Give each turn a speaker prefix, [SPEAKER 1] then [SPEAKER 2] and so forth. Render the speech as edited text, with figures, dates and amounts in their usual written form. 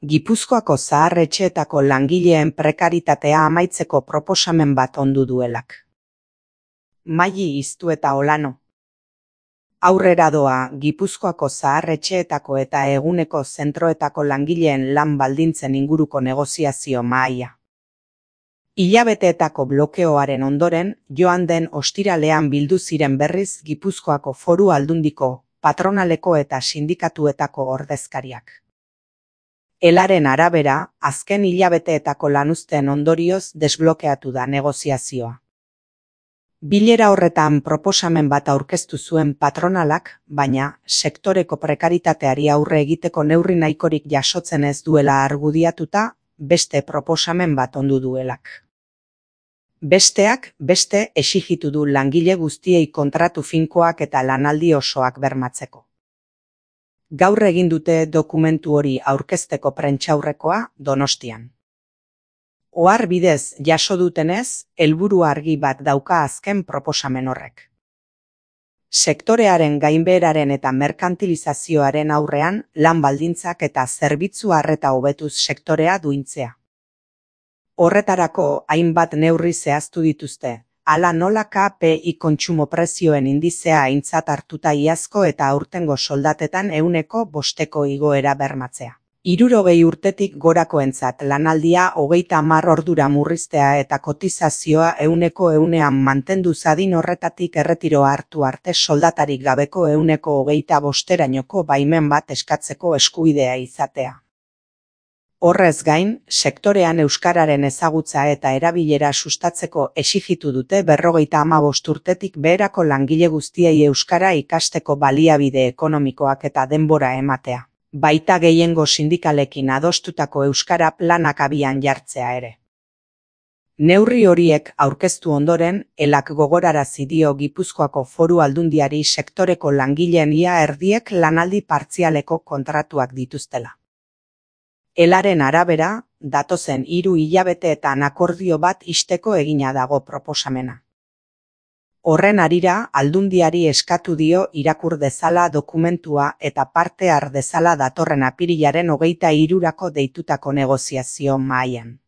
[SPEAKER 1] Gipuzkoako zahar-etxeetako langileen prekaritatea amaitzeko proposamen bat ondu duelak. Maili Iztueta Olano. Aurrera doa Gipuzkoako zahar-etxeetako eta eguneko zentroetako langileen lan baldintzen inguruko negoziazio mahaia. Hilabeteetako blokeoaren ondoren, joan den ostiralean bildu ziren berriz Gipuzkoako Foru Aldundiko, patronaleko eta sindikatuetako ordezkariak. Elaren arabera, azken hilabeteetako lanuzteen ondorioz desblokeatu da negoziazioa. Bilera horretan proposamen bat aurkeztu zuen patronalak, baina sektoreko prekaritateari aurre egiteko neurri nahikorik jasotzen ez duela argudiatuta, beste proposamen bat ondu duelak. Besteak beste exijitu du langile guztiei kontratu finkoak eta lanaldi osoak bermatzeko. Gaur egin dute dokumentu hori aurkezteko prentsaurrekoa Donostian. Ohar bidez jaso dutenez, helburu argi bat dauka azken proposamen horrek. Sektorearen gainbeheraren eta merkantilizazioaren aurrean lan baldintzak eta zerbitzu arreta hobetuz sektorea duintzea. Horretarako hainbat neurri zehaztu dituzte, hala nola KPI kontsumo prezioen indizea aintzat hartuta iazko eta aurtengo soldatetan 5% igoera bermatzea. 60 urtetik gorakoentzat lanaldia 30 ordura murriztea eta kotizazioa 100% mantendu zadin horretatik erretiroa hartu arte soldatarik gabeko 25%rainoko baimen bat eskatzeko eskubidea izatea. Horrez gain, sektorean euskararen ezagutza eta erabilera sustatzeko exijitu dute 55 urtetik beherako langile guztiei euskara ikasteko baliabide ekonomikoak eta denbora ematea. Baita gehiengo sindikalekin adostutako euskara planak abian jartzea ere. Neurri horiek aurkeztu ondoren, Elak gogorarazi dio Gipuzkoako Foru Aldundiari sektoreko langileen ia erdiek lanaldi partzialeko kontratuak dituztela. Elaren arabera, datozen 3 hilabeteetan akordio bat ixteko egina dago proposamena. Horren harira, Aldundiari eskatu dio irakur dezala dokumentua eta parte har dezala datorren apirilaren 23rako deitutako negoziazio mahaian.